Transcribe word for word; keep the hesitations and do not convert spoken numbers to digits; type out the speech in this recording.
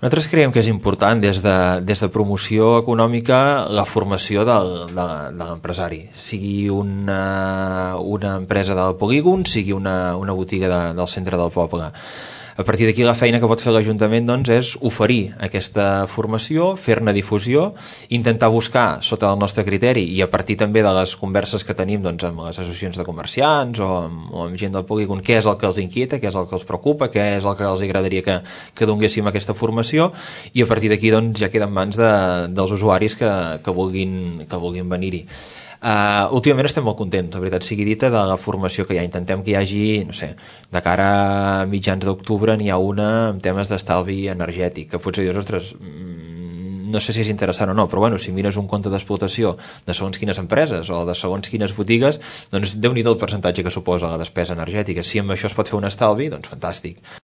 Nosaltres creiem que és important des de, des de promoció econòmica la formació del, de, de l'empresari, sigui una, una empresa del polígon, sigui una, una botiga de, del centre del poble. A partir d'aquí la feina que pot fer l'Ajuntament doncs, és oferir aquesta formació, fer-ne difusió, intentar buscar sota el nostre criteri i a partir també de les converses que tenim doncs, amb les associacions de comerciants o amb, o amb gent del polígon, què és el que els inquieta, què és el que els preocupa, què és el que els agradaria que, que donéssim aquesta formació i a partir d'aquí doncs, ja queda en mans de, dels usuaris que, que vulguin, que vulguin venir-hi. Uh, últimament estem molt contents, la veritat sigui dita, de la formació que hi ha. Intentem que hi hagi, no sé, de cara a mitjans d'octubre n'hi ha una amb temes d'estalvi energètic, que potser dius, ostres, no sé si és interessant o no, però bueno, si mires un compte d'explotació de segons quines empreses o de segons quines botigues, doncs déu-n'hi-do el percentatge que suposa la despesa energètica. Si amb això es pot fer un estalvi, doncs fantàstic.